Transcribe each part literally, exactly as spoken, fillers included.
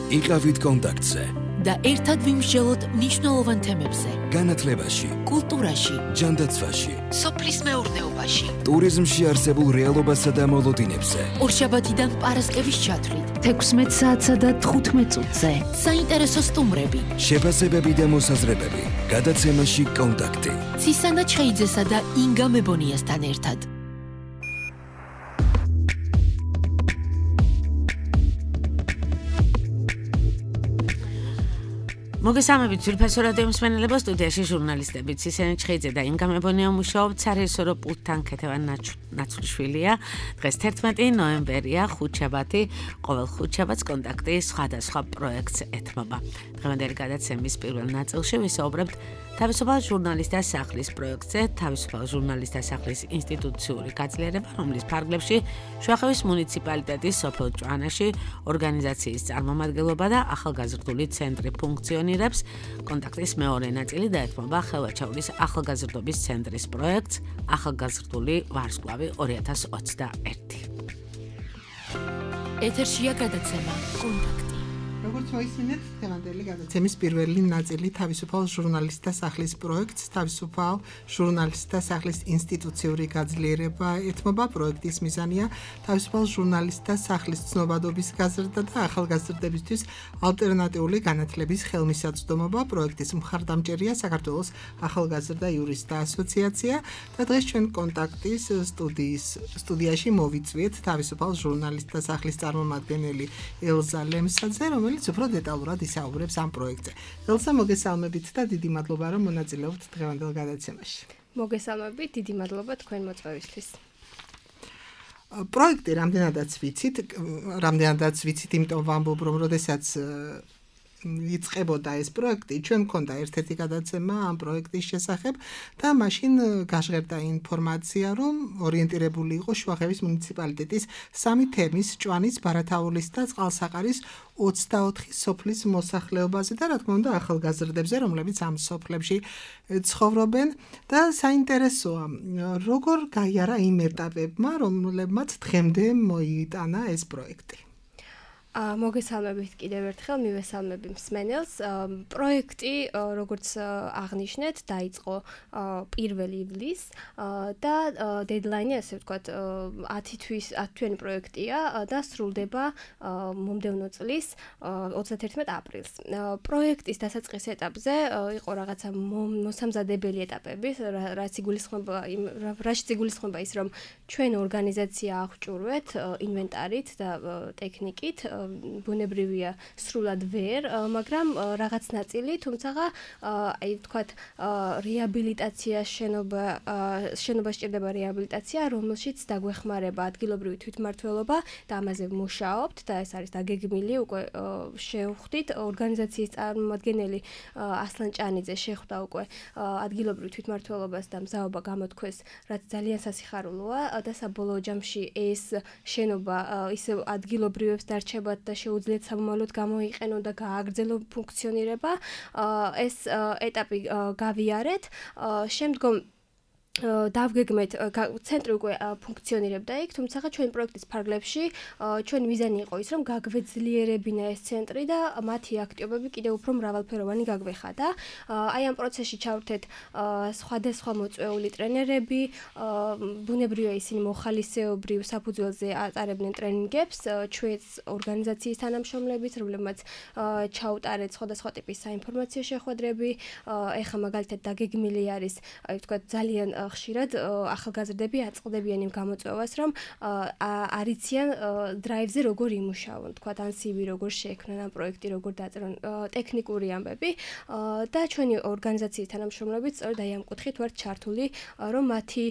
იყავით კონტაქტზე და ერთად ვიმსჯელოთ მნიშვნელოვან თემებზე. განათლებაში, კულტურაში, ჯანდაცვაში, სოფლის მეურნეობაში, ტურიზმში არსებულ რეალობასა და მოლოდინებზე. ორშაბათიდან პარასკევის ჩათვლით, თექვსმეტ საათსა და თხუთმეტ წუთზე. საინტერესო სტუმრები, შეფასებები და მოსაზრებები. გადაცემაში კონტაქტი. ცისანა ჩხეიძესა და ინგა მებონიასთან ერთად. მოგესალმებით ძვირფასო რადიო მსმენელებო, სტუდიაში ჟურნალისტები ცისანა ჩხეიძე და ინგა მებონია მუშაობთ. საერთო რო პულტთან ქეთევან ნაცვლიშვილია. დღეს თერთმეტი ნოემბერია, ხუთშაბათი, ყოველ ხუთშაბათს კონტაქტი სხვადასხვა პროექტს ეთმობა. დღევანდელი გადაცემის პირველ ნაწილში ვისაუბრებთ თავისუფალ ჟურნალისტთა სახლის პროექტზე, თავისუფალ ჟურნალისტთა სახლის ინსტიტუციური გაძლიერება, რომლის ფარგლებში შუახევის მუნიციპალიტეტის სოფელ ჭვანაში ორგანიზაციის წარმომადგენლობა და ახალგაზრდული ცენტრი ფუნქციონირებს. კონტაქტის მეორე ნაწილი დაეთმობა ხელვაჩაურის ახალგაზრდობის ცენტრის პროექტს ახალგაზრდული ვარსკვლავი ორი ათას ოცდაერთი. ეთერშია გადაცემა კონტაქტი. როგორც მოისმინეთ, დღევანდელი გადაცემის პირველი ნაწილი თავისუფალ ჟურნალისტთა სახლის პროექტს, თავისუფალ ჟურნალისტთა სახლის ინსტიტუციური გაძლიერება ეთმობა. პროექტის მიზანია თავისუფალ ჟურნალისტთა სახლის ცნობადობის გაზრდა და ახალგაზრდებისთვის ალტერნატიული განათლების ხელმისაწვდომობა. პროექტის მხარდამჭერია საქართველოს ახალგაზრდა იურისტთა ასოციაცია და დღეს ჩვენ კონტაქტის სტუდიის სტუდიაში მოვიწვიეთ თავისუფალ ჟურნალისტთა სახლის წარმომადგენელი ელზა ლემსაძე, რომელიც უფრო დეტალურად ისაუბრებს ამ პროექტზე. ელზა, მოგესალმებით და დიდი მადლობა, რომ მონაწილეობთ დღევანდელ გადაცემაში. მოგესალმებით, დიდი მადლობა თქვენ მოწვევისთვის. პროექტი რამდენადაც ვიცით, რამდენადაც ვიცით, იმიტომ ვამბობ, რომ როდესაც იწყებოდა ეს პროექტი, ჩვენ მქონდა ერთ-ერთი გადაცემა ამ პროექტის შესახებ და მაშინ გაჟღერდა ინფორმაცია, რომ ორიენტირებული იყო შუახევის მუნიციპალიტეტის სამი თემის, ჭვანის, ბარათაულის და წყალსაყარის ოცდაოთხი სოფლის მოსახლეობაზე და რა თქმა უნდა ახალგაზრდებზე, რომლებიც ამ სოფლებში ცხოვრობენ და საინტერესოა, როგორ გაიარა იმ ეტაპებმა, რომლებმაც დღემდე მოიტანა ეს პროექტი. მოგესალმებით კიდევ ერთხელ, მივესალმები მსმენელს. პროექტი, როგორც აღნიშნეთ, დაიწყო პირველი ივლისს და დედლაინი, ასე ვთქვათ, ათი თვის, ათი თვიანი პროექტია და სრულდება მომდევნო წლის ოცდათერთმეტ აპრილს. პროექტის დასაწყის ეტაპზე იყო რაღაცა მოსამზადებელი ეტაპები, რაც იგულისხმება, რაც იგულისხმება ის, რომ ჩვენ ორგანიზაცია აღჭურვეთ ინვენტარით და ტექნიკით. ბუნებრივია სრულად ვერ, მაგრამ რაღაც ნაწილი, თუმცა აი ვთქვათ, რეაბილიტაცია შენობა, შენობა სჭირდება რეაბილიტაცია, რომელშიც დაგვეხმარება ადგილობრივი თვითმმართველობა და ამაზე ვმუშაობთ და ეს არის დაგეგმილი, უკვე შევხვდით ორგანიზაციის წარმომადგენელი ასლან ჭანიძე შეხვდა უკვე ადგილობრივ თვითმმართველობას და მზაობა გამოთქვეს, რაც ძალიან სასიხარულოა და საბოლოო ჯამში ეს შენობა ისევ ადგილობრივებს დარჩება და შეუძლიათ სამომავლოდ გამოიყენონ და გააგრძელო ფუნქციონირება. ეს ეტაპი გავიარეთ. შემდგომ დავგეგმეთ, ცენტრი უკვე ფუნქციონირებდა იქ, თუმცა ჩვენ პროექტის ფარგლებში ჩვენი მიზანი იყო ის, რომ გაგვეძლიერებინა ეს ცენტრი და მათი აქტივობები კიდევ უფრო მრავალფეროვანი გაგვეხადა. აი ამ პროცესში ჩავრთეთ სხვადასხვა მოწვეული ტრენერები, ბუნებრივია ისინი მოხალისეობრივ საფუძველზე ატარებდნენ ტრენინგებს, ჩვენს ორგანიზაციის თანამშრომლებით, რომლებმაც ჩაუტარეთ სხვადასხვა ტიპის საინფორმაციო შეხვედრები. ეხლა მაგალითად დაგეგმილი არის, აი ვთქვათ, ძალიან ხშირად ახალგაზრდები აწყდებიან იმ გამოწვევას, რომ არიციან დრაივზე როგორ იმუშავონ, თქვათ ან სი ვი როგორ შეექმნან, ან პროექტი როგორ დაწერონ, ტექნიკური ამბები და ჩვენი ორგანიზაციის თანამშრომლებით სწორედ აი ამ კუთხით ვართ ჩართული, რომ მათი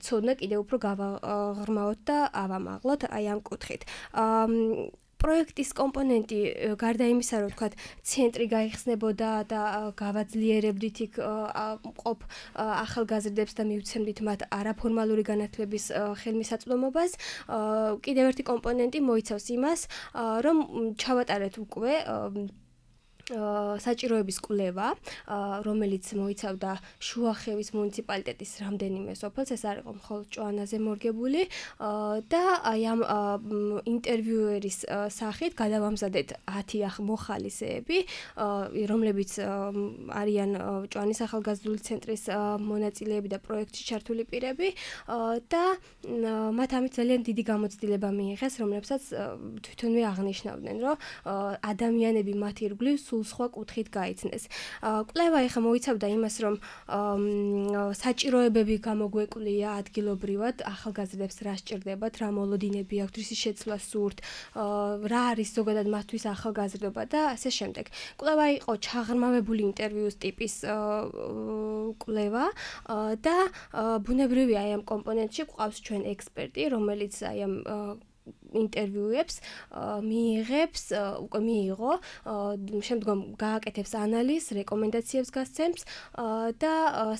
ცოდნა კიდევ უფრო გავაღრმავოთ და ავამაღლოთ აი ამ კუთხით. პროექტის კომპონენტი გარდა იმისა, რომ თქვათ, ცენტრი გაიხსნებოდა და გავაძლიერებდით იქ ყოფ ახალგაზრდებს და მივცემდით მათ არაფორმალური განათლების ხელმისაწვდომობას, კიდევ ერთი კომპონენტი მოიცავს იმას, რომ ჩავატარეთ უკვე საჭიროების კვლევა, რომელიც მოიცავდა შუახევის მუნიციპალიტეტის რამდენიმე სოფელს, ეს არ იყო მხოლოდ ჭოანაზე მორგებული და აი ამ ინტერვიუერის სახით გადავამზადეთ ათი მოხალისეები, რომლებიც არიან ჭოანის ახალგაზრდული ცენტრის მონაწილეები და პროექტში ჩართული პირები და მათ ამით ძალიან დიდი გამოცდილება მიიღეს, რომლებსაც თვითონვე აღნიშნავდნენ, რომ ადამიანები მათ ირგვლივ სულ სხვა კუთხით გაიცნეს. კვლევა ეხა მოიცავდა იმას, რომ საჭიროებები გამოგვეკვლია ადგილობრივად, ახალგაზრდებს რა სჭირდებათ, რა მოლოდინები აქვთ, რისი შეცვლა სურთ, რა არის ზოგადად მათთვის ახალგაზრდობა და ასე შემდეგ. კვლევა იყო ჩაღრმავებული ინტერვიუს ტიპის კვლევა და ბუნებრივია აი ამ კომპონენტში გვყავს ჩვენ ექსპერტი, რომელიც აი ამ ინტერვიუებს მიიღებს, უკვე მიიღო, შემდგომ გააკეთებს ანალიზს, რეკომენდაციებს გასცემს და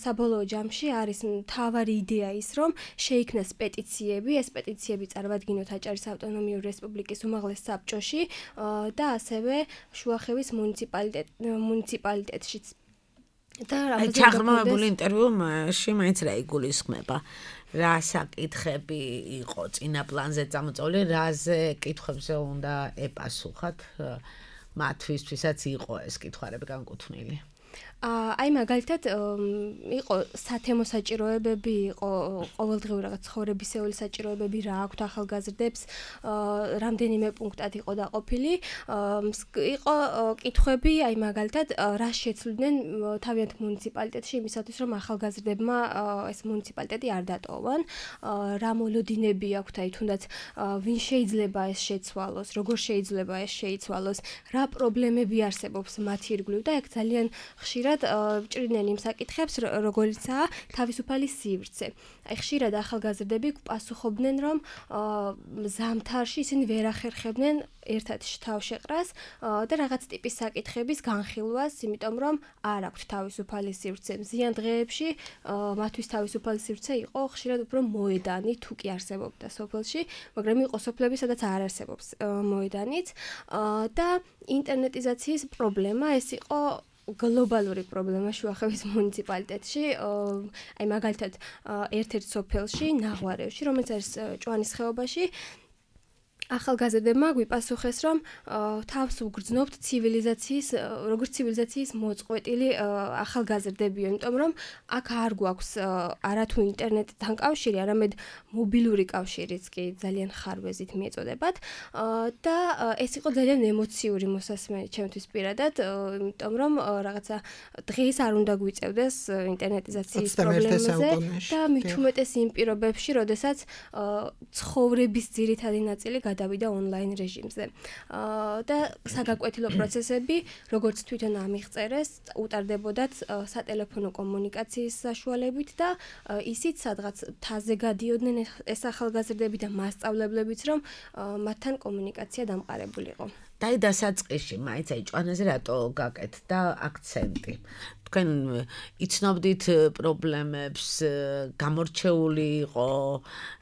საბოლოო ჯამში არის მთავარი იდეა ის, რომ შეიქმნას პეტიციები, ეს პეტიციები წარმადგინოთ აჭარის ავტონომიური რესპუბლიკის უმაღლეს საბჭოში და ასევე შუახევის მუნიციპალიტეტშიც. და რამაზე ჩაღრმავებული ინტერვიუში მაინც რა იგულისხმება? რა საკითხები იყო წინა პლანზე წამოწეული, რაზე კითხვებზე უნდა ეპასუხათ მათთვისაც იყო ეს კითხვები განკუთვნილი? აი მაგალითად იყო სათემო საჭიროებები, იყო ყოველდღიური რაღაც ცხოვრებისეული საჭიროებები, რა აქვთ ახალგაზრდებს, რამდენიმე პუნქტად იყო დაყოფილი. იყო კითხვები, აი მაგალითად, რა შეცვლიდნენ თავიანთ მუნიციპალიტეტში იმისათვის, რომ ახალგაზრდებმა ეს მუნიციპალიტეტი არ დატოვონ, რა მოლოდინები აქვთ, აი თუნდაც ვინ შეიძლება ეს შეცვალოს, როგორ შეიძლება ეს შეიცვალოს, რა პრობლემები არსებობს მათ ირგვლივ და ეგ ძალიან ხშირად ჭრიდნენ იმ საკითხებს, როგორიცაა თავისუფალი სივრცე. აი ხშირად ახალგაზრდები პასუხობდნენ, რომ ზამთარში ისინი ვერ ახერხებდნენ ერთად თავშეყრას და რაღაც ტიპის საკითხების განხილვას, იმიტომ რომ არ აქვთ თავისუფალი სივრცე. მზიან დღეებში მათთვის თავისუფალი სივრცე იყო ხშირად უფრო მოედანი, თუ კი არსებობდა სოფელში, მაგრამ იყო სოფლები, სადაც არ არსებობს მოედანიც და ინტერნეტიზაციის პრობლემა ეს იყო გლობალური პრობლემა შუახევის მუნიციპალიტეტში, აი მაგალითად ერთ-ერთ სოფელში, ნაღვარევში, რომელიც არის ჭოანის ხეობაში, ახალგაზრდებმა გვიპასუხეს, რომ თავს უგრძნობთ ცივილიზაციის, როგორც ცივილიზაციის მოწყვეტილი ახალგაზრდებიო, იმიტომ რომ აქ არ გვაქვს არათუ ინტერნეტთან კავშირი, არამედ მობილური კავშირიც კი ძალიან ხარვეზით მიეწოდებათ და ეს იყო ძალიან ემოციური მოსასმენი ჩემთვის პირადად, იმიტომ რომ რაღაცა დღეს არ უნდა გვიწევდეს ინტერნეტიზაციის პრობლემაზე და მით უმეტეს იმ პირობებში, როდესაც ცხოვრების ძირითადი ნაწილი დავიდა ონლაინ რეჟიმზე. და საგაკვეთილო პროცესები, როგორც თვითონ ამიღწერეს, უტარდებოდათ სატელეფონო კომუნიკაციის საშუალებით და ისიც სადღაც თაზე გადიოდნენ ეს ახალგაზრდები და მასწავლებლებიც, რომ მათთან კომუნიკაცია დამყარებულიყო. და დასაწყისში მაინც აი ჭვანაზე რატო გაკეთდა აქცენტი? თქვენ იცნობდით პრობლემებს, გამორჩეული იყო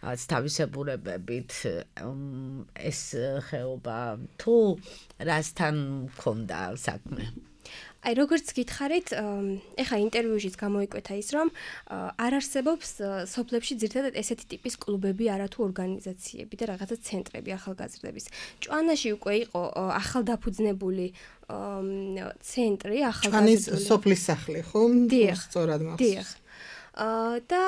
თავისებურებებით ეს ხეობა, თუ რასთან მქონდა საქმე? აი როგორც გითხარით, ეხა ინტერვიუშიც გამოიკვეთა ის, რომ არ არსებობს სოფლებში ძირითადად ესეთი ტიპის კლუბები, არათუ ორგანიზაციები და რაღაცა ცენტრები ახალგაზრდების. ჭვანაში უკვე იყო ახალდაფუძნებული ცენტრი, ახალგაზრდული. ჭვანის სოფლის სახლი, ხო? სწორად მახსოვს. და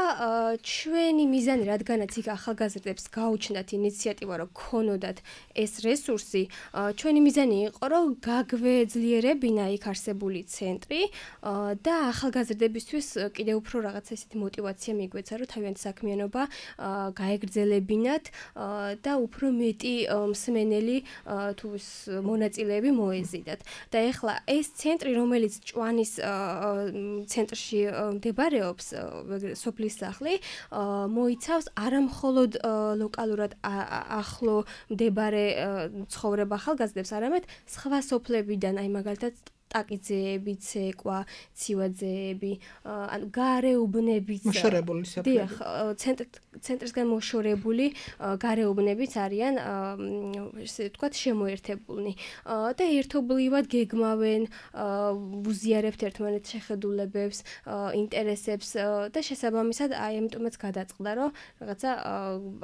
ჩვენი მიზანი, რადგანაც იქ ახალგაზრდებს გაუჩნდათ ინიციატივა, რომ ქონოდათ ეს რესურსი, ჩვენი მიზანი იყო, რომ გაგვეძლიერებინა იქ არსებული ცენტრი და ახალგაზრდებისთვის კიდევ უფრო რაღაცა ისეთი мотиваცია მიგვეცა, რომ თავიანთი საქმიანობა გაეგრძელებინათ და უფრო მეტი მსმენელი თუ მონაწილეები მოეზიდათ. და ეხლა ეს ცენტრი, რომელიც ჭვანის ცენტრში მდებარეობს, სოფლის სახლი, მოიცავს არამხოლოდ ლოკალურად ახლო მდებარე ცხოვრება ახალგაზრდებს, არამედ სხვა სოფლებიდან, აი მაგალითად ტაკიძეები, ცეკვა, ცივაძეები, ანუ გარეუბნებიც მოშორებული საფრთხე. დიახ, ცენტრისგან მოშორებული გარეუბნებიც არიან ესე ვთქვათ შემოერთებულნი და ერთობლივად გეგმავენ, უზიარებთ ერთმანეთს შეხედულებებს, ინტერესებს და შესაბამისად აი ამიტომაც გადაწყდა რომ რაღაცა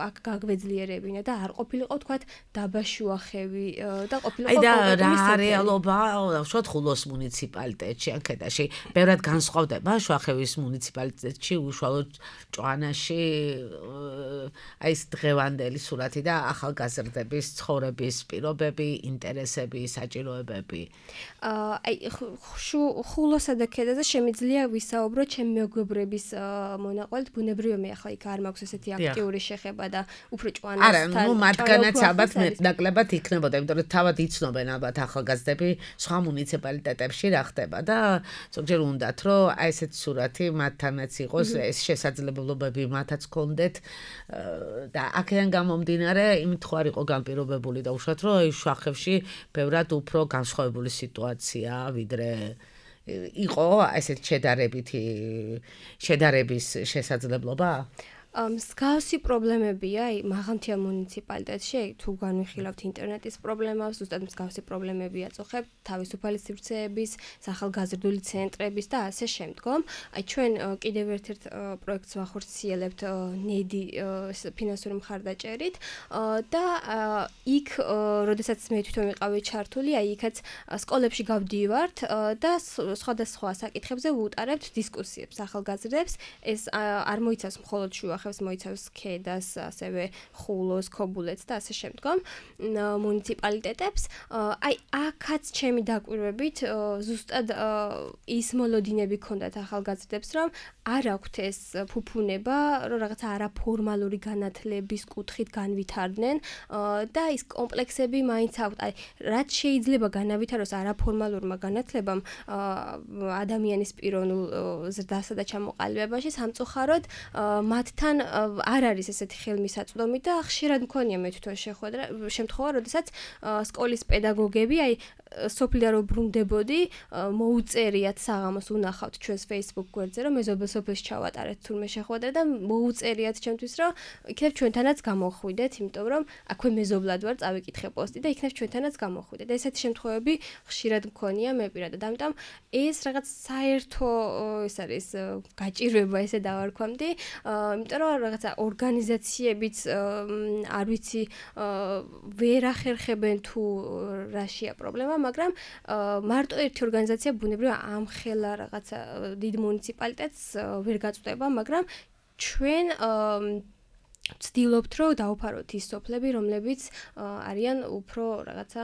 აქ გაგვეძლიერებინა და არ ყოფილიყო ვთქვათ დაბაშუახევი და ყოფილიყო აი და რა რეალობა ვთქვათ ხულოს მუნიციპალიტეტში ან ქედაში ბევრად განსხვავდება შუახევის მუნიციპალიტეტში უშუალოდ ჭვანაში აი ეს დღევანდელი სურათი და ახალგაზრდების ცხოვრების პირობები, ინტერესები, საჭიროებები. აი ხულოსა და ქედაზე შემიძლია ვისაუბრო ჩემი მეგობრების მონაყვალით, ბუნებრივია მე ახლა იქ არ მაქვს ესეთი აქტიური შეხება და უფრო ჭვანასთან. არა, ну მათგანაც ალბათ ნაკლებად იქნებოდა, იმიტომ რომ თავად იცნობენ ალბათ ახალგაზრდები სხვა მუნიციპალიტეტებში რა ხდება და ზოგჯერ უნდათ რომ აი ესეთი სურათი მათთანაც იყოს, ეს შესაძლებლობები მათაც ქონდეთ და აქედან გამომდინარე იმით ხო არ იყო განპირობებული და უშუალოდ რომ აი შუახევში ბევრად უფრო განსხვავებული სიტუაცია ვიდრე იყო ესეთ შედარებითი შედარების შესაძლებლობა? მსგავსი პრობლემებია მაღალმთიან მუნიციპალიტეტში, თუ განვიხილავთ ინტერნეტის პრობლემას, ზუსტად მსგავსი პრობლემები აწუხებთ თავისუფალი სივრცეების, სახალგაზრდული ცენტრების და ასე შემდგომ. აი ჩვენ კიდევ ერთ-ერთ პროექტს ვახორციელებთ ნედი ფინანსური მხარდაჭერით და იქ, როდესაც მე თვითონ ვიყავი ჩართული, აი იქაც სკოლებში გავდივართ და სხვადასხვა საკითხებზე ვუტარებთ დისკუსიებს ახალგაზრდებს. ეს არ მოიცავს მხოლოდ შუა მოიცავს ქედას, ასევე ხულოს, ქობულეთს და ასე შემდგომ მუნიციპალიტეტებს. აი აქაც ჩემი დაკვირვებით ზუსტად ის მოლოდინები ქონდათ ახალგაზრდებს, რომ არ აქვთ ეს ფუფუნება, რომ რაღაცა არაფორმალური განათლების კუთხით განვითარდნენ და ის კომპლექსები მაინც აქვთ. აი რაც შეიძლება განავითაროს არაფორმალურმა განათლებამ ადამიანის პიროვნულ ზრდასა და ჩამოყალიბებაში, სამწუხაროდ მათთან არ არის ესეთი ხელმისაწვდომი და ხშირად მქონია მე თვითონ შემთხვევა, როდესაც სკოლის პედაგოგები აი სოფლიდან რო ბრუნდებოდი, მოუწერიათ საღამოს უნახავთ ჩვენს Facebook გვერდზე, რომ მეზობელ სოფელს ჩავატარეთ თურმე შეხვედრა და მოუწერიათ ჩემთვის, რომ იქნებ ჩვენთანაც გამოხვიდეთ, იმიტომ რომ აქვე მეზობლად ვარ, წავიკითხე პოსტი და იქნებ ჩვენთანაც გამოხვიდეთ. ესეთი შემთხვევები ხშირად მქონია მე პირადად. ამიტომ ეს რაღაც საერთო ეს არის გაჭირვება ესე დავარქვამდი, იმიტომ რომ რაღაცა ორგანიზაციებიც არ ვიცი ვერ ახერხებენ თუ რაშია პრობლემა, მაგრამ მარტო ერთი ორგანიზაცია ბუნებრივია ამხელა რაღაცა დიდ მუნიციპალიტეტს ვერ გაწვდება, მაგრამ ჩვენ ვცდილობთ, რომ დავფაროთ ის სოფლები, რომლებიც არიან უფრო რაღაცა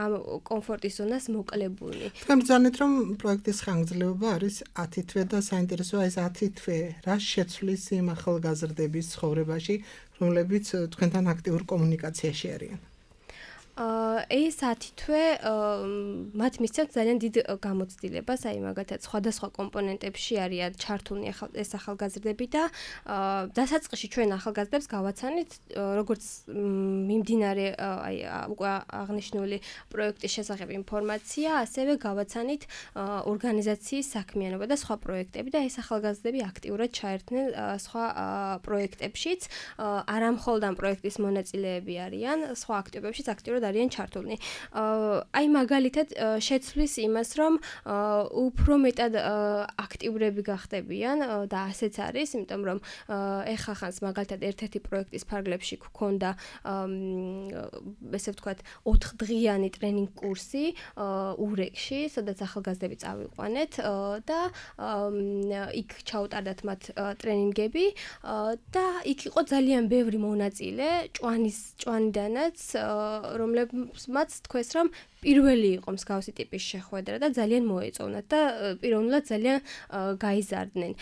ამ კომფორტის ზონას მოკლებულნი. თქვენ ბრძანეთ, რომ პროექტის ხანგრძლივობა არის ათი თვე და საინტერესოა ეს ათი თვე რა შეცვლის იმ ახალგაზრდების ცხოვრებაში, რომლებიც თქვენთან აქტიურ კომუნიკაციაში არიან. ეს ათი თვე მათ მისცემთ ძალიან დიდ გამოცდილებას, აი მაგალითად სხვადასხვა კომპონენტებში არიან ჩართულნი ეს ახალგაზრდები და დასაწყისში ჩვენ ახალგაზრდებს გავაცანით, როგორც მიმდინარე აი უკვე აღნიშნული პროექტის შესახებ ინფორმაცია, ასევე გავაცანით ორგანიზაციის საქმიანობა და სხვა პროექტები და ეს ახალგაზრდები აქტიურად ჩაერთნენ სხვა პროექტებშიც, არა მხოლოდ ამ პროექტის მონაწილეები არიან, სხვა აქტივობებშიც აქტიურად არიან ჩართულნი. აი მაგალითად შეცვლის იმას, რომ უფრო მეტად აქტიურები გახდებიან და ასეც არის, იმიტომ რომ ეხა ხანს მაგალითად ერთ-ერთი პროექტის ფარგლებში გქონდა ესე ვთქვათ ოთხდღიანი ტრენინგ კურსი ურეკში, სადაც ახალგაზრდები წავიყვანეთ და იქ ჩაუტარდათ მათ ტრენინგები და იქ იყო ძალიან ბევრი მონაწილე ჭვანის ჭვანიდანაც, რომლებმაც თქვეს, რომ პირველი იყო მსგავსი ტიპის შეხვედრა და ძალიან მოეწონათ და პიროვნულად ძალიან გაიზარდნენ.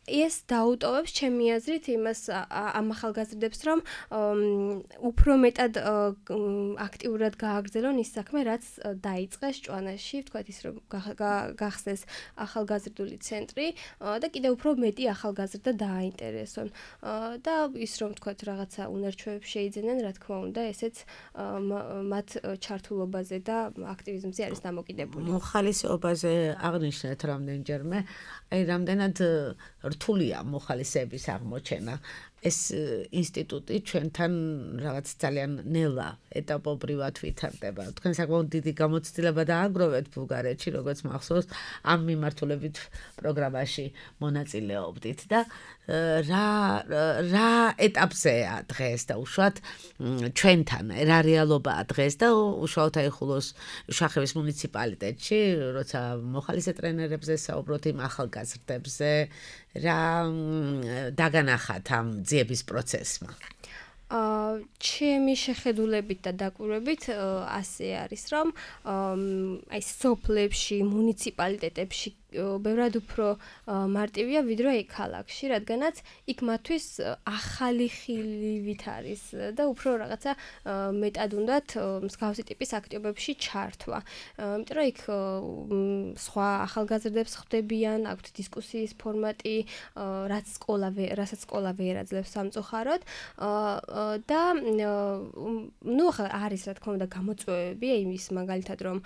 ეს დაუტოვებს ჩემი აზრით იმას ამ ახალგაზრდებს, რომ უფრო მეტად აქტიურად გააგრძელონ ის საქმე, რაც დაიწყეს ჭვანაში, ვთქვათ ის რომ გახსნეს ახალგაზრდული ცენტრი და კიდევ უფრო მეტი ახალგაზრდა დააინტერესონ. და ის რომ ვთქვათ რაღაცა უნარჩვევებს შეიძენენ, რა თქმა უნდა, ესეც მათ ჩართულობაზე და აქტივიზმზე არის დამოკიდებული. მოხალისეობაზე აღნიშნეთ რამდენჯერმე, აი რამდენად რთულია მოხალისეების აღმოჩენა. ეს ინსტიტუტი ჩვენთან რაღაც ძალიან ნელა ეტაპობრივად ვითარდება. თქვენ საკმაოდ დიდი გამოცდილება დააგროვეთ ბულგარეთში, როგორც მახსოვს, ამ მიმართულებით პროგრამაში მონაწილეობდით და რა რა ეტაპზეა დღეს და უშუალოდ ჩვენთან რა რეალობაა დღეს და უშუალოდ აიხულოს შახევის მუნიციპალიტეტში, როცა მოხალისე ტრენერებზე საუბრობთ იმ ახალგაზრდებზე, რა დაგანახათ ამ ძიების პროცესმა? ჩემი შეხედულებით და დაკვირვებით ასე არის, რომ აი სოფლებში, მუნიციპალიტეტებში ბევრად უფრო მარტივია ვიდრე აი ქალაქში, რადგანაც იქ მათთვის ახალი ხილივით არის და უფრო რაღაცა მეტად უნდათ მსგავსი ტიპის აქტივობებში ჩართვა. იმიტომ რომ იქ სხვა ახალგაზრდებს ხვდებიან, აქვთ დისკუსიის ფორმატი, რაც სკოლა რასაც სკოლა ვერ აძლევს სამწუხაროდ და ნუ ახლა არის რა თქმა უნდა გამოწვევები, იმის მაგალითად რომ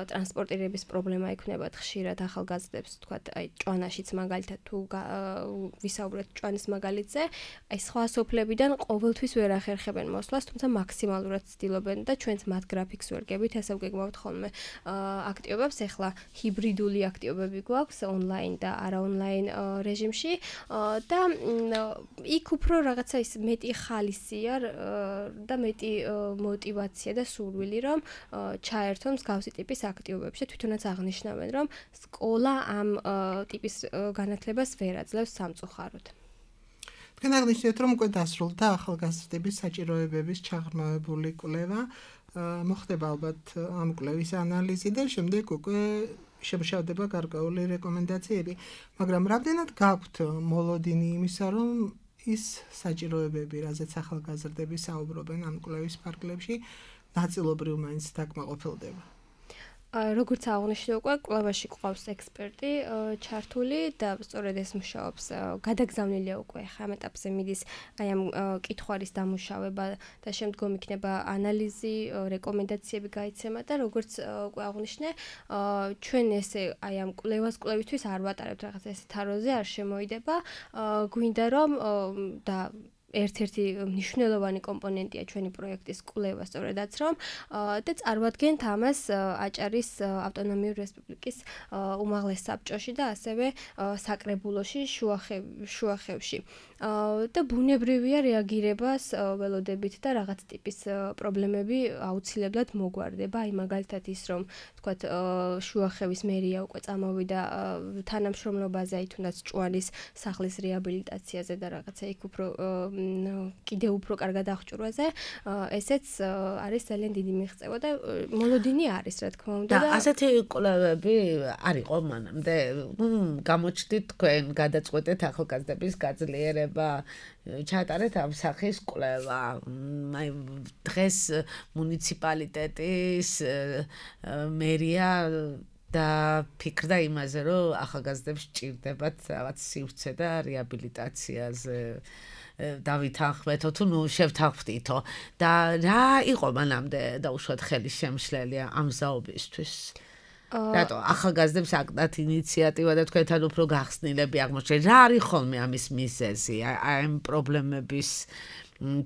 ტრანსპორტირების პრობლემა ექნებათ ხშირად ახალგაზრდებს თქვათ აი ჭვანაშიც მაგალითად თუ ვისაუბრეთ ჭვანის მაგალითზე, აი სხვა სოფლებიდან ყოველთვის ვერ ახერხებენ მოსვლას, თუმცა მაქსიმალურად ცდილობენ და ჩვენც მათ გრაფიკს ვერ გებით, ესე ვგეგმავთ ხოლმე აქტივობებს, ახლა ჰიბრიდული აქტივობები გვაქვს ონლაინ და არაონლაინ რეჟიმში და იქ უფრო რაღაცა ის მეტი ხალისია და მეტი мотиваცია და სურვილი რომ ჩაერთონ მსგავსი ტიპის აქტივობებში და თვითონაც აღნიშნავენ რომ სკოლა ამ ტიპის განათლებას ვერ აძლევს სამწუხაროდ. თქვენ აღნიშნეთ რომ უკვე დასრულდა ახალგაზრდების საჭიროებების ჩაღრმავებული კვლევა, მოხდება ალბათ ამ კვლევის ანალიზი და შემდეგ უკვე შემშავდება გარკვეული რეკომენდაციები, მაგრამ რამდენად გაქვთ მოლოდინი იმისა, რომ ის საჭიროებები, რაზეც ახალგაზრდები საუბრობენ ამ კვლევის ფარგლებში, ნაწილობრივ მაინც დაკმაყოფილდება. როგორც აღნიშნე უკვე კვლევაში ყავს ექსპერტი ჩართული და სწორედ ეს მუშაობს გადაგზავნილია უკვე ხა ამ ეტაპზე მიდის აი ამ კითხვარის დამუშავება და შემდგომ იქნება ანალიზი, რეკომენდაციები გაიცემა და როგორც უკვე აღნიშნე ჩვენ ესე აი ამ კვლევას კვლევითთვის არ ვატარებთ რაღაც ესე თაროზე არ შემოიდება, გვინდა რომ და ერთ-ერთი მნიშვნელოვანი კომპონენტია ჩვენი პროექტის კვლევა სწორედაც რომ და წარმოადგენთ ამას აჭარის ავტონომიური რესპუბლიკის უმაღლეს საბჭოში და ასევე საკრებულოში შუახევში და ბუნებრივია რეაგირებას ველოდებით და რაღაც ტიპის პრობლემები აუცილებლად მოგვარდება, აი მაგალითად ის რომ თქვათ შუახევის მერია უკვე წამოვიდა თანამშრომლობაზე, აი თუნდაც ჭვანის სახლის რეაბილიტაციაზე და რაღაცა იქ უფრო კიდევ უფრო კარგად აღჭურვაზე, ესეც არის ძალიან დიდი მიღწევა და მოლოდინი არის, რა თქმა უნდა. და ასეთი კვლევები არ იყო მანამდე. გამოჩდით თქვენ, გადაწყვეტეთ ახალგაზრდების გაძლიერება, ჩატარეთ ამ სახის კვლევა. აი დღეს მუნიციპალიტეტის მერია და ფიქრდა იმაზე, რომ ახალგაზრდებს სჭირდებათ რაღაც სივრცე და რეაბილიტაციაზე დავითანხმეთო თუ ნუ შევთანხმდითო და რა იყო მანამდე დაუშვათ ხელის შემშლელი ამ ზაობისთვის? რატო ახალგაზრდებს აკდათ ინიციატივა და თქვენთან უფრო გახსნილები აღმოჩნდნენ? რა არის ხოლმე ამის მიზეზი, აი ამ პრობლემების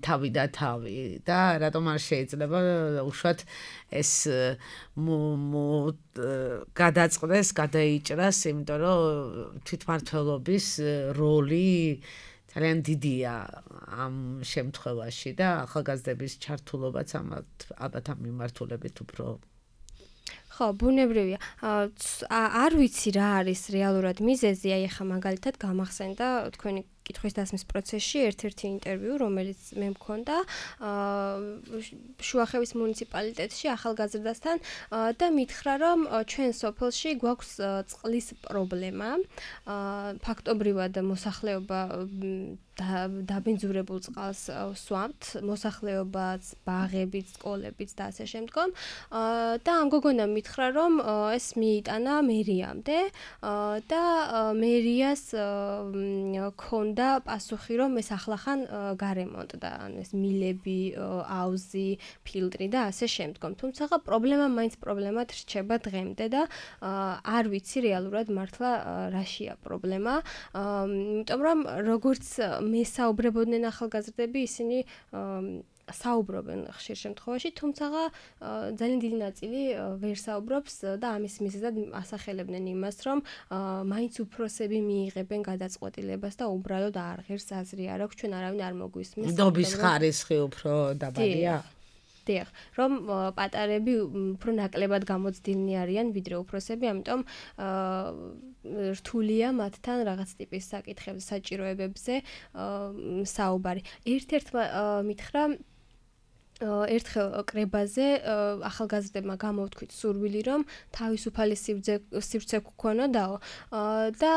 თავი და თავი და რატომ არ შეიძლება უშუალოდ ეს გადაწყდეს, გადაიჭრას, იმიტომ რომ თვითმმართველობის როლი ძალიან დიდია ამ შემთხვევაში და ახალგაზრდების ჩართულობაც ალბათ ამ მიმართულებით უფრო ხო, ბუნებრივია. არ ვიცი რა არის რეალურად მიზეზი, აი ახლა მაგალითად გამახსენდა თქვენი კითხვის დასმის პროცესში ერთ-ერთი ინტერვიუ, რომელიც მე მქონდა შუახევის მუნიციპალიტეტში ახალგაზრდასთან და მითხრა, რომ ჩვენ სოფელში გვაქვს წყლის პრობლემა. ფაქტობრივად მოსახლეობა დაბინძურებულ წყალს სვამთ, მოსახლეობაც, ბაღებიც, სკოლებიც და ასე შემდგომ. და ამ გოგონამ მითხრა, რომ ეს მიიტანა მერიამდე და მერიას ქონდა პასუხი, რომ ეს ახლახან გარემონტდა, ანუ ეს მილები, აუზი, ფილტრი და ასე შემდგომ. თუმცა პრობლემა მაინც პრობლემად რჩება დღემდე და არ ვიცი რეალურად მართლა რაშია პრობლემა. იმიტომ რომ როგორც მესაუბრებოდნენ ახალგაზრდები, ისინი საუბრობენ ხშირ შემთხვევაში, თუმცა ძალიან დიდი ნაწილი ვერ საუბრობს და ამის მიზეზად ასახელებდნენ იმას, რომ მაინც უფროსები მიიღებენ გადაწყვეტილებას და უბრალოდ არ ღირს აზრი არ აქვს, ჩვენ არავინ არ მოგვისმის. ნდობის ხარისხი უფრო დაბალია. დიახ, რომ პატარები უფრო ნაკლებად გამოცდილნი არიან ვიდრე უფროსები, ამიტომ რთულია მათთან რაღაც ტიპის საკითხებზე, საჭიროებებზე საუბარი. ერთ-ერთმა მითხრა ერთხელ კრებაზე ახალგაზრდებმა გამოვთქვით სურვილი, რომ თავისუფალი სივრცე გქონოდაო და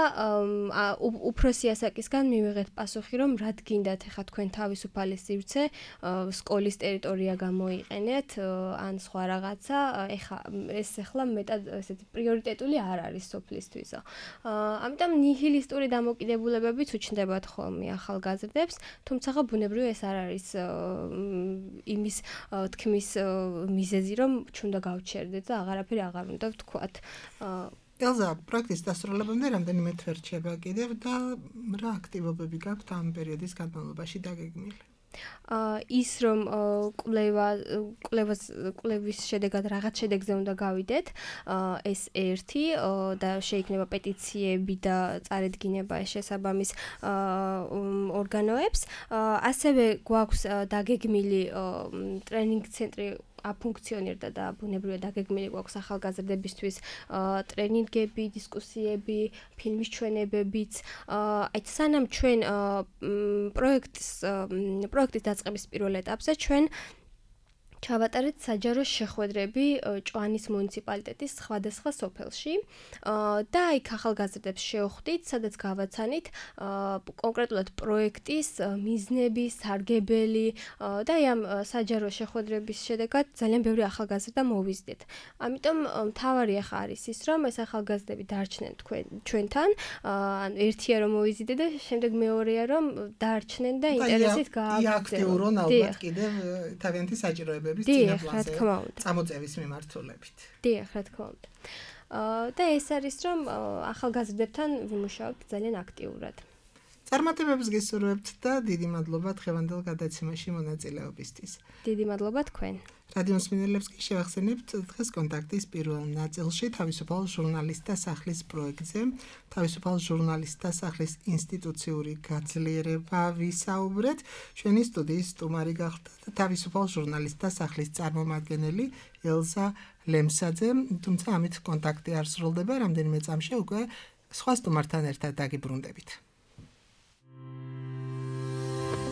უფროსი ასაკისგან მივიღეთ პასუხი, რომ რად გინდათ ახლა თქვენ თავისუფალი სივრცე, სკოლის ტერიტორია გამოიყენეთ ან სხვა რაღაცა, ეხა ეს ახლა მეტად ესეთი პრიორიტეტული არ არის სოფლისთვისო. ამიტომ ნიჰილისტური დამოკიდებულებებიც უჩნდებათ ხოლმე ახალგაზრდებს, თუმცა ბუნებრივია ეს არ არის იმის თქმის მიზეზი, რომ ჩუნდა გავჩერდეთ და აღარაფერი აღარ უნდა ვთქვათ. ელზა, პროექტის დასრულებამდე რამდენიმე თვე რჩება კიდევ და რა აქტივობები გაქვთ ამ პერიოდის განმავლობაში დაგეგმილი? ის რომ კვლევა კვლევას კვლევის შედეგად რაღაც შედეგზე უნდა გავიდეთ, ეს ერთი და შეიქმნება პეტიციები და წარედგინება შესაბამის ორგანოებს. ასევე გვაქვს დაგეგმილი ტრენინგ ცენტრი აფუნქციონირდა და ბუნებრივია დაგეგმილი გვაქვს ახალგაზრდებისთვის ტრენინგები, დისკუსიები, ფილმის ჩვენებებიც. აი სანამ ჩვენ პროექტის პროექტის დაწყების პირველ ეტაპზე ჩვენ ჩავატარეთ საჯარო შეხვედრები ჭვანის მუნიციპალიტეტის სხვადასხვა სოფელში და იქ ახალგაზრდებს შევხვდით, სადაც გავაცანით კონკრეტულად პროექტის მიზნები, სარგებელი და ამ საჯარო შეხვედრების შედეგად ძალიან ბევრი ახალგაზრდა მოვიზდეთ. ამიტომ მთავარი ახლა არის ის, რომ ეს ახალგაზრდები დარჩნენ ჩვენთან, ანუ ერთია რომ მოვიზიდე და შემდეგ მეორეა რომ დარჩნენ და ინტერესით გააგრძელონ. აქტიურონ ალბათ კიდევ თავიანთი საჭიროებები დიახ, რა თქმა უნდა. წამოწევის მიმართულებით. დიახ, რა თქმა უნდა. და ეს არის რომ ახალგაზრდებთან ვიმუშაობთ ძალიან აქტიურად. წარმატებებს გისურვებთ და დიდი მადლობა დღევანდელ გადაცემაში მონაწილეობისთვის. დიდი მადლობა თქვენ. რადიო მსმენელებს კი შევახსენებთ დღეს კონტაქტის პირველ ნაწილში თავისუფალ ჟურნალისტთა სახლის პროექტზე, თავისუფალ ჟურნალისტთა სახლის ინსტიტუციური გაძლიერება ვისაუბრეთ. ჩვენი სტუდიის სტუმარი გახლდათ თავისუფალ ჟურნალისტთა სახლის წარმომადგენელი ელზა ლემსაძე, თუმცა ამით კონტაქტი არ სრულდება, რამდენიმე წამში უკვე სხვა სტუმართან ერთად დაგიბრუნდებით.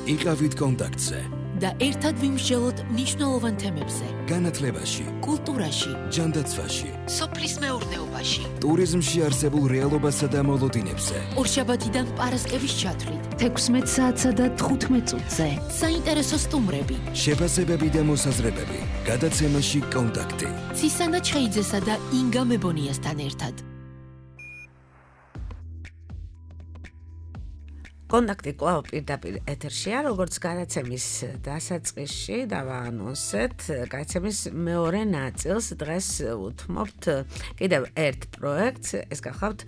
იყავით კონტაქტზე და ერთად ვიმსჯელოთ მნიშვნელოვან თემებზე. განათლებაში, კულტურაში, ჯანდაცვაში, სოფლის მეურნეობაში, ტურიზმში არსებულ რეალობასა და მოლოდინებზე. ორშაბათიდან პარასკევის ჩათვლით, თექვსმეტ საათსა და თხუთმეტ წუთზე. საინტერესო სტუმრები, შეფასებები და მოსაზრებები. გადაცემაში კონტაქტი. ცისანა ჩხეიძესა და ინგა მებონიასთან ერთად. კონტაქტი კვლავ პირდაპირ ეთერშია, როგორც გადაცემის დასაწყისში დავაანონსეთ, გადაცემის მეორე ნაწილს დღეს უთმობთ კიდევ ერთ პროექტს, ეს გახლავთ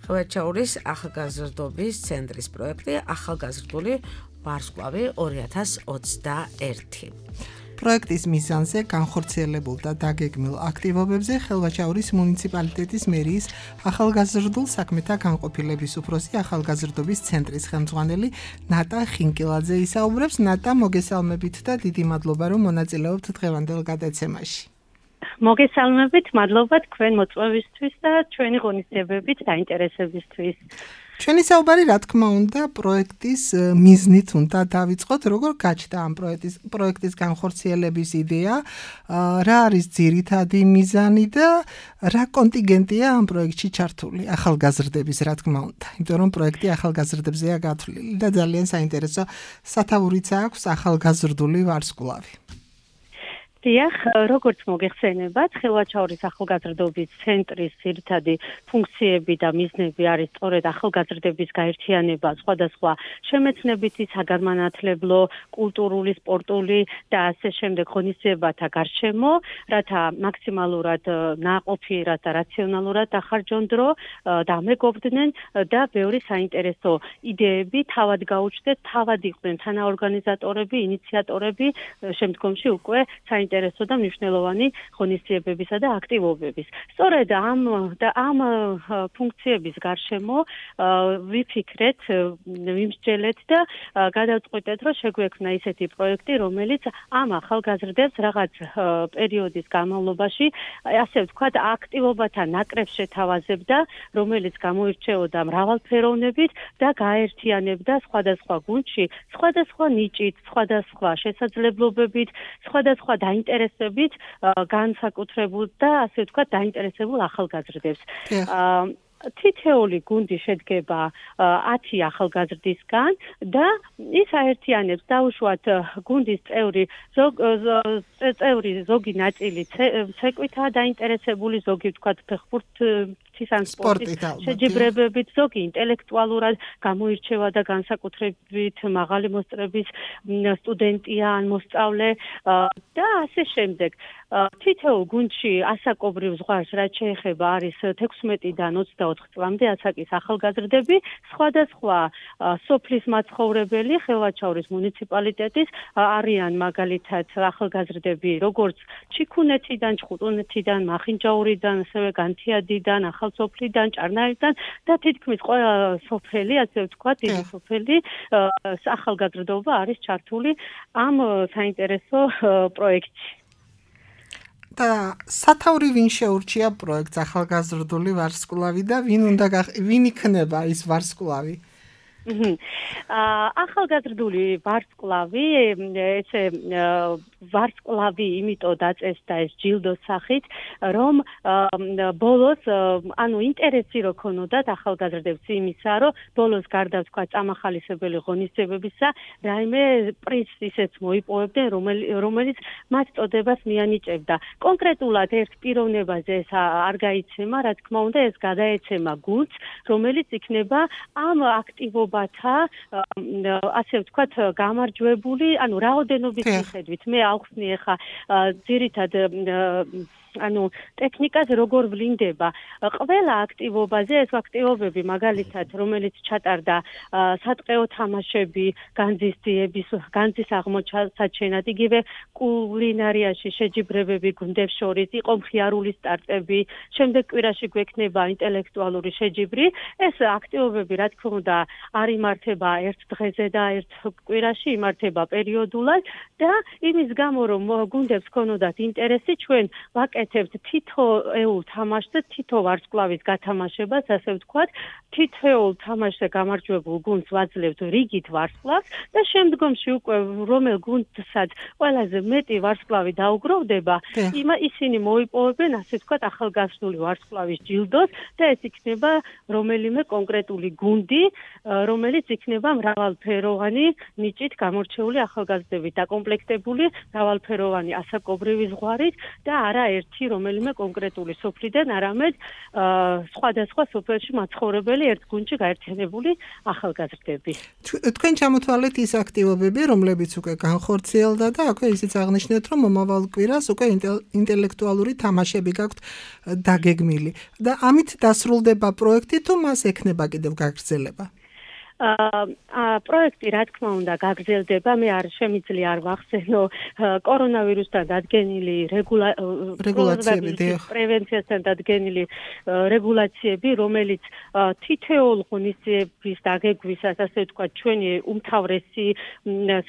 ხვევეთჩაურის ახალგაზრდობის ცენტრის პროექტი ახალგაზრდული ვარსკვლავი ორი ათას ოცდაერთი. პროექტის მიზანზე განხორციელებულ და დაგეგმილ აქტივობებზე ხელვაჩაურის მუნიციპალიტეტის მერიის ახალგაზრდულ საქმეთა განყოფილების უფროსი ახალგაზრდობის ცენტრის ხელმძღვანელი ნატა ხინკილაძე ისაუბრებს. ნატა, მოგესალმებით და დიდი მადლობა რომ მონაწილეობთ დღევანდელ გადაცემაში. მოგესალმებით, მადლობა თქვენ მოწვევისთვის და ჩვენი ღონისძიებებით დაინტერესებისთვის. ჩვენი საუბარი რა თქმა უნდა პროექტის მიზნით უნდა დავიწყოთ, როგორ გაჩნდა ამ პროექტის პროექტის განხორციელების იდეა, რა არის ძირითადი მიზანი და რა კონტინგენტია ამ პროექტში ჩართული ახალგაზრდების, რა თქმა უნდა, იმიტომ რომ პროექტი ახალგაზრდებზეა გათვლილი და ძალიან საინტერესო სათაურიც აქვს ახალგაზრდული ვარსკვლავი. დიახ, როგორც მოგეხსენებათ, ხელვაჩაურის ახალგაზრდობის ცენტრის ძირითადი ფუნქციები და მიზნები არის სწორედ ახალგაზრდების გაერთიანება სხვადასხვა შემეცნებითი, საგანმანათლებლო, კულტურული, სპორტული და ასე შემდეგ ღონისძიებათა გარშემო, რათა მაქსიმალურად ნაყოფი, რათა რაციონალურად ახარჯონ დრო, დამეგობრდნენ და ბევრი საინტერესო იდეები თავად გაუჩნდეთ, თავად იყვნენ თანაორგანიზატორები, ინიციატორები, შემდგომში უკვე საინტერესო ინტერესო და მნიშვნელოვანი ღონისძიებებისა და აქტივობების. სწორედ ამ და ამ ფუნქციების გარშემო ვიფიქრეთ, ვიმსჯელეთ და გადავწყვიტეთ, რომ შეგვექმნა ისეთი პროექტი, რომელიც ამ ახალგაზრდებს რაღაც პერიოდის განმავლობაში, ასე ვთქვათ, აქტივობათა ნაკრებს შეთავაზებდა, რომელიც გამოირჩეოდა მრავალფეროვნებით და გაერთიანებდა სხვადასხვა გუნდში, სხვადასხვა ნიჭით, სხვადასხვა შესაძლებლობებით, სხვადასხვა დაინტერესებით განსაკუთრებულ და ასე ვთქვათ დაინტერესებულ ახალგაზრდებს. თითეული გუნდი შედგება ათი ახალგაზრდისგან და ის აერთიანებს დაუშვათ გუნდის წევრი წევრი ზოგი ნაწილი ცეკვითაა დაინტერესებული, ზოგი ვთქვათ ფეხბურთის ან სპორტის შეჯიბრებებით, ზოგი ინტელექტუალურად გამოირჩევა და განსაკუთრებით მაღალი მოსწრების სტუდენტია ან მოსწავლე და ასე შემდეგ. თითოეულ გუნდში ასაკობრივ ზღვარს რაც შეეხება არის თექვსმეტიდან ოცდაოთხ წლამდე ასაკის ახალგაზრდები, სხვადასხვა სოფლის მაცხოვრებელი ხელვაჩაურის მუნიციპალიტეტის არიან მაგალითად ახალგაზრდები, როგორც ჩიქუნეთიდან, ჩხუტუნეთიდან, მახინჯაურიდან, ასევე განთიადიდან, ახალსოფლიდან, ჭარნაირიდან და თითქმის ყველა სოფელი, ასე ვთქვათ, დიდი სოფელი ახალგაზრდობა არის ჩართული ამ საინტერესო პროექტში. და სათაური ვინ შეურჩია პროექტს ახალგაზრდული ვარსკვლავი და ვინ უნდა ვინ იქნება ის ვარსკვლავი? ახალგაზრდული ვარსკვლავი, ესე ვარსკვლავი იმიტომ დაწესდა ეს ჯილდოს სახით, რომ ბოლოს, ანუ ინტერესი რო ქონოდათ ახალგაზრდებს იმისა, რომ ბოლოს გარდა ვთქვა წამახალისებელი ღონისძიებებისა, რაიმე პრიზს ისეც მოიპოვებდნენ, რომელიც მათ წოდებას მიანიჭებდა. კონკრეტულად ერთ პიროვნებაზე ეს არ გაიცემა, რა თქმა უნდა, ეს გადაეცემა გუნდს, რომელიც იქნება ამ აქტივობათა, ასე ვთქვათ, გამარჯვებული, ანუ რაოდენობის მიხედვით. მე ავხსნი ახლა ძირითად ანუ ტექნიკაზე როგორ ვლინდება. ყველა აქტივობაზე ეს აქტივობები მაგალითად, რომელიც ჩატარდა სატყეო თამაშები, განძის განძის აღმოჩენად, იგივე კულინარიაში შეჯიბრებები გუნდებს შორის, იყო მხიარული სტარტები, შემდეგ კვირაში გვექნება ინტელექტუალური შეჯიბრი. ეს აქტივობები, რა თქმა უნდა, არ იმართება ერთ დღეზე და ერთ კვირაში, იმართება პერიოდულად და იმის გამო, რომ გუნდებს ქონოდათ ინტერესი, ჩვენ ვაკეთებთ თითოეულ თამაშზე თითო ვარსკვლავის გათამაშებას, ასე ვთქვათ, თითოეულ თამაშზე გამარჯვებულ გუნდს ვაძლევთ რიგით ვარსკვლავს და შემდგომში უკვე რომელ გუნდსაც ყველაზე მეტი ვარსკვლავი დაუგროვდება, ისინი მოიპოვებენ, ასე ვთქვათ, ახალგაზრდული ვარსკვლავის ჯილდოს და ეს იქნება რომელიმე კონკრეტული გუნდი, რომელიც იქნება მრავალფეროვანი ნიჭით გამორჩეული ახალგაზრდებით დაკომპლექტებული, მრავალფეროვანი ასაკობრივი ზღვარით და არა ერთი რომელიმე კონკრეტული სოფლიდან, არამედ სხვადასხვა სოფელში მაცხოვრებელი ერთ გუნდში გაერთიანებული ახალგაზრდები. თქვენ ჩამოთვალეთ ის აქტივობები, რომლებიც უკვე განხორციელდა და აქვე ისიც აღნიშნეთ, რომ მომავალ კვირას უკვე ინტელექტუალური თამაშები გაქვთ დაგეგმილი. და ამით დასრულდება პროექტი თუ მას ექნება კიდევ გაგრძელება? აა პროექტი რა თქმა უნდა გაგრძელდება. მე არ შემიძლია არ ვახსენო კორონავირუსთან დადგენილი რეგულაციები, პრევენციასთან დადგენილი რეგულაციები, რომელიც თითოეულ ღონისძიების დაგეგვისას, ასე ვთქვათ, ჩვენი უმთავრესი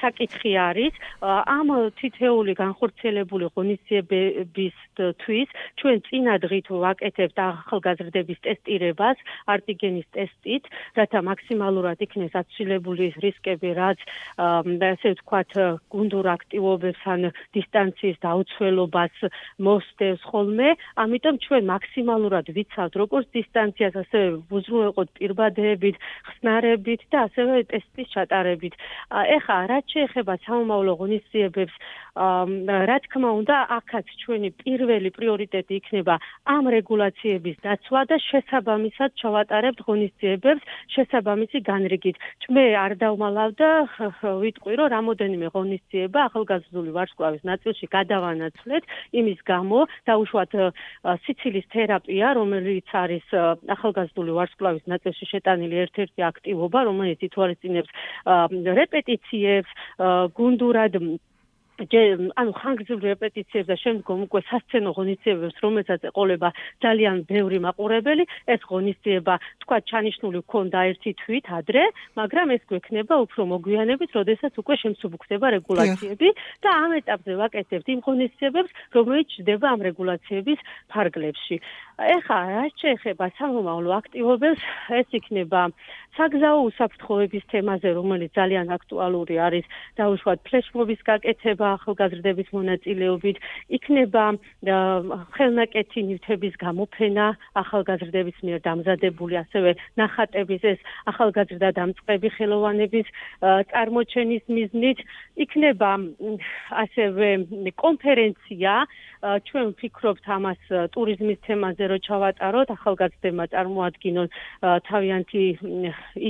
საკითხი არის. ამ თითოეული განხორციელებული ღონისძიებებისთვის ჩვენ წინა დღით ვაკეთებთ ახალგაზრდების ტესტირებას არტიგენის ტესტით, რათა მაქსიმალურად იქნეს აცილებული რისკები, რაც ასე ვთქვათ, გუნდურ აქტივობებს ან დისტანციის დაუცველობას მოსდევს ხოლმე. ამიტომ ჩვენ მაქსიმალურად ვიცავთ როგორც დისტანციას, ასევე უზრუნველყოთ პირბადეებით, ხსნარებით და ასევე ტესტის ჩატარებით. ეხლა რაც შეეხება სამომავლო ღონისძიებებს, რა თქმა უნდა, აქაც ჩვენი პირველი პრიორიტეტი იქნება ამ რეგულაციების დაცვა და შესაბამისად ჩავატარებთ ღონისძიებებს შესაბამისი განრიგით. მე არ დავმალავ და ვიტყვი, რომ რამოდენიმე ღონისძიება ახალგაზრდული ვარსკვლავის ნაწილში გადავანაცვლეთ, იმის გამო დაუშვათ სიცილის თერაპია, რომელიც არის ახალგაზრდული ვარსკვლავის ნაწილში შეტანილი ერთ-ერთი აქტივობა, რომელიც ითვალისწინებს რეპეტიციებს, გუნდურად ანუ ხანგრძლივ რეპეტიციებს და შემდგომ უკვე სასცენო ღონისძიებებს, რომელსაც ეყოლება ძალიან ბევრი მაყურებელი, ეს ღონისძიება თქვა ჩანიშნული ქონდა ერთი თვით ადრე, მაგრამ ეს გვექნება უფრო მოგვიანებით, როდესაც უკვე შემსუბუქდება რეგულაციები და ამ ეტაპზე ვაკეთებთ იმ ღონისძიებებს, რომელიც ჩნდება ამ რეგულაციების ფარგლებში. ეხლა რაც შეეხება სამომავლო აქტივობებს, ეს იქნება საგზაო უსაფრთხოების თემაზე, რომელიც ძალიან აქტუალური არის, დაუშვათ ფლეშმობის გაკეთება ახალგაზრდების მონაწილეობით, იქნება ხელნაკეთი ნივთების გამოფენა ახალგაზრდების მიერ დამზადებული, ასევე ნახატების ეს ახალგაზრდა დამწყები ხელოვანების წარმოჩენის მიზნით, იქნება ასევე კონფერენცია, ჩვენ ვფიქრობთ ამას ტურიზმის თემაზე, რომ ჩავატაროთ, ახალგაზრდებმა წარმოადგინონ თავიანთი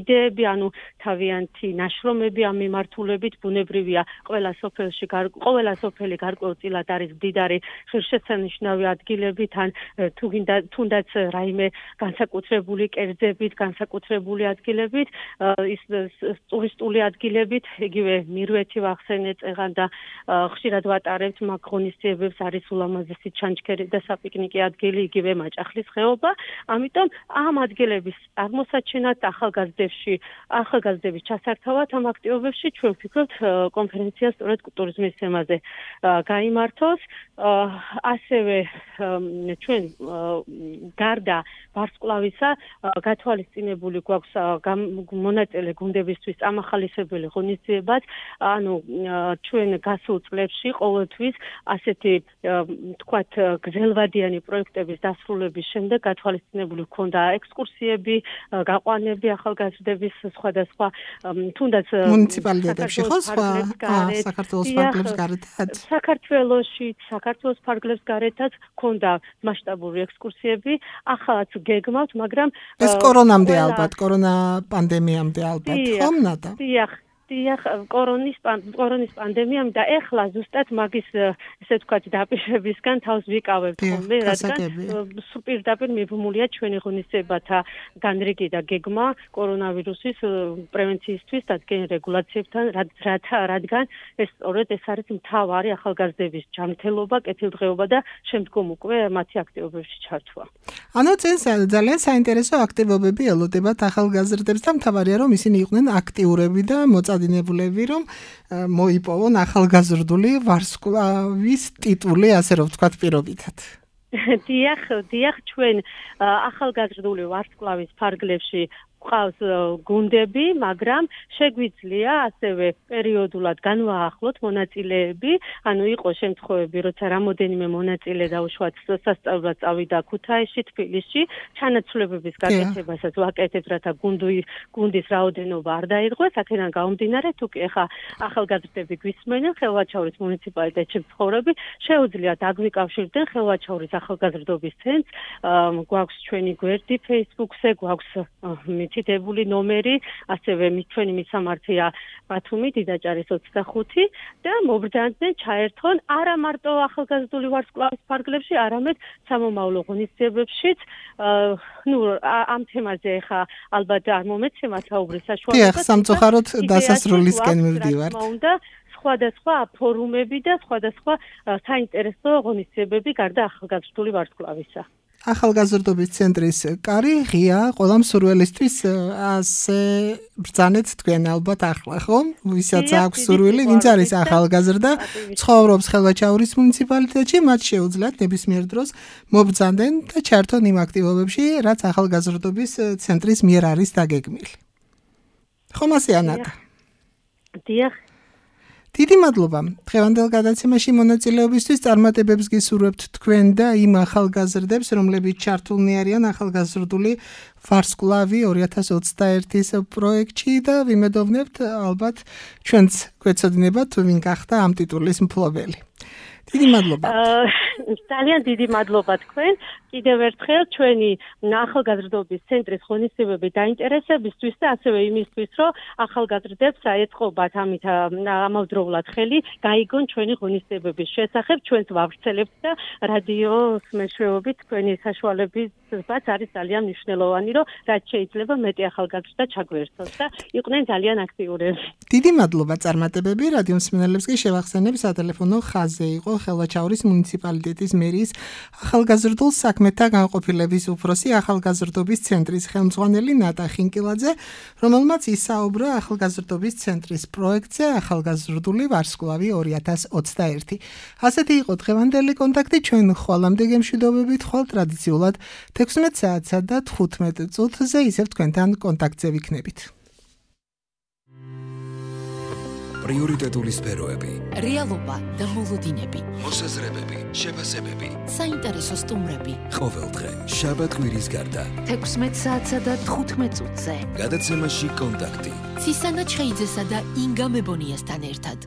იდეები, ანუ თავიანთი ნაშრომები ამ მიმართულებით, ბუნებრივია ყველა სოფელში ყველა სოფელი გარკვეულწილად არის მდიდარი ღირსშესანიშნავი ადგილებით, ან თუნდაც რაიმე განსაკუთრებული კერძებით, განსაკუთრებული ადგილებით, ის ტურისტული ადგილებით, იგივე მირვეთი ვახსენეთ წეღან და ხშირად ვატარებთ მაგ ღონისძიებებს, არის ულამაზესი ჩანჩქერი და საპიკნიკე ადგილი, იგივე მაჭახლის ხეობა. ამიტომ ამ ადგილების აღმოსაჩენად ახალგაზრდებში, ახალგაზრდების ჩასართავად ამ აქტივობებში ჩვენ ვფიქრობთ კონფერენცია სწორედ ტურიზმის თემაზე გაიმართოს. ასევე ჩვენ გარდა ვარსკვლავისა გათვალისწინებული გვაქვს მონაწილე გუნდებისთვის ამახალისებელი ღონისძიებაც, ანუ ჩვენ გასულ წლებში ყოველთვის ასეთი თქვათ გრძელვადიანი პროექტების დასრულების შემდეგ გათვალისწინებული ჰქონდა ექსკურსიები, გაყვანები ახალგაზრდების სხვადასხვა თუნდაც მუნიციპალიტეტებში ხო სხვა საქართველოს ფარგლებს გარეთაც საქართველოში საქართველოს ფარგლებს გარეთაც ჰქონდა მასშტაბური ექსკურსიები, ახალაც გეგმავთ, მაგრამ ეს კორონამდე ალბათ, კორონა პანდემიამდე ალბათ, ხომ ნატა? დიახ, დიახ, კორონის კორონის პანდემიამ და ეხლა ზუსტად მაგის ესე ვთქვათ დაპირებისგან თავს ვიკავებთ ხოლმე, რადგან პირდაპირ მიბმულია ჩვენი ღონისძიებათა განრიგი და გეგმა კორონავირუსის პრევენციისთვის დადგენილ რეგულაციებთან, რადგან ეს სწორედ ეს არის მთავარი ახალგაზრდების ჯანმრთელობა, კეთილდღეობა და შემდგომ უკვე მათი აქტივობებში ჩართვა. ანუ წელს ძალიან საინტერესო აქტივობები ელოდებათ ახალგაზრდებს და მთავარია რომ ისინი იყვნენ აქტიურები და მოწადინებულები, რომ მოიპოვონ ახალგაზრდული ვარსკვლავის ტიტული, ასე რომ ვთქვათ, პირობითად. დიახ, დიახ, ჩვენ ახალგაზრდული ვარსკვლავის ფარგლებში ყავს გუნდები, მაგრამ შეგვიძლია ასევე პერიოდულად განვაახლოთ მონაწილეები, ანუ იყო შემთხვევები, როცა რამოდენიმე მონაწილე დაუშვათ სასწავლებლად წავიდა ქუთაისში, თბილისში, ჩანაცვლებების გაკეთებასაც ვაკეთებთ, რათა გუნდის რაოდენობა არ დაირღვეს, აქედან გამომდინარე, თუ კი ახლა ახალგაზრდები გვისმენენ, ხელვაჩაურის მუნიციპალიტეტში მცხოვრები, შეუძლიათ აგვიკავშირდნენ ხელვაჩაურის ახალგაზრდობის ცენტრს, გვაქვს ჩვენი გვერდი Facebook-ზე, გვაქვს მითითებული ნომერი, ასევე ჩვენი მისამართია ბათუმი, დიდაჭარის ოცდახუთი და მობრძანდნენ ჩაერთონ არა მარტო ახალგაზრდული ვარსკვლავის ფარგლებში, არამედ სამომავლო ღონისძიებებშიც. ნუ ამ თემაზე ხა ალბათ არ მომეცემა საუბრის საშუალება. დიახ, სამწუხაროდ დასასრულისკენ მივდივართ. უნდა სხვადასხვა ფორუმები და სხვადასხვა საინტერესო ღონისძიებები გარდა ახალგაზრდული ვარსკვლავისა. ახალგაზრდობის ცენტრის კარი ღია ყველა მსურველისთვის ასე ბრძანეთ თქვენ ალბათ ახლა ხო? ვისაც აქვს სურვილი, ვინც არის ახალგაზრდა, ცხოვრობს ხელვაჩაურის მუნიციპალიტეტში, მათ შეუძლიათ ნებისმიერ დროს მობრძანდნენ და ჩართონ იმ აქტივობებში, რაც ახალგაზრდობის ცენტრის მიერ არის დაგეგმილი. ხომ ასე ანატა? დიახ. დიდი მადლობა. დღევანდელ გადაცემაში მონაწილეობისთვის წარმატებებს გისურვებთ თქვენ და იმ ახალგაზრდებს, რომლებიც ჩართულნი არიან ახალგაზრდული ვარსკვლავი ორი ათას ოცდაერთის პროექტში და ვიმედოვნებთ ალბათ ჩვენც გვეცოდინებათ თუ ვინ გახდა ამ ტიტულის მფლობელი. დიდი მადლობა. ძალიან დიდი მადლობა თქვენ. კიდევ ერთხელ ჩვენი ახალგაზრდობის ცენტრის ღონისძიებები დაინტერესებისთვის და ასევე იმისთვის, რომ ახალგაზრდებს აეწყობათ ამით ამავდროულად ხელი, გაიგონ ჩვენი ღონისძიებების შესახებ, ჩვენც ვავრცელებთ და რადიოს მეშვეობით თქვენი საშუალებებიც არის ძალიან მნიშვნელოვანი, რომ რაც შეიძლება მეტი ახალგაზრდა ჩაგვერთოს და იყვნენ ძალიან აქტიურები. დიდი მადლობა წარმატებები რადიო მსმენელებს კი შევახსენებ სატელეფონო ხაზზე იყო ხელვაჩაურის მუნიციპალიტეტის მერის ახალგაზრდულ საქმეთა განყოფილების უფროსი ახალგაზრდობის ცენტრის ხელმძღვანელი ნატა ხინკილაძე, რომელმაც ისაუბრა ახალგაზრდობის ცენტრის პროექტზე ახალგაზრდული ვარსკვლავი ორი ათას ოცდაერთი. ასეთი იყო დღევანდელი კონტაქტი, ჩვენ ხვალამდე გემშვიდობებით ხვალ ტრადიციულად თექვსმეტ საათსა და თხუთმეტ წუთზე ისევ თქვენთან კონტაქტზე ვიქნებით. პრიორიტეტული სფეროები, რეალობა და მოლოდინები, მოსაზრებები, შეფასებები, საინტერესო სტუმრები. ყოველდღე შაბათ-კვირის გარდა თექვსმეტ საათსა და თხუთმეტ წუთზე. გადაცემაში კონტაქტი. ცისანა ჩხეიძესა და ინგა მებონიასთან ერთად.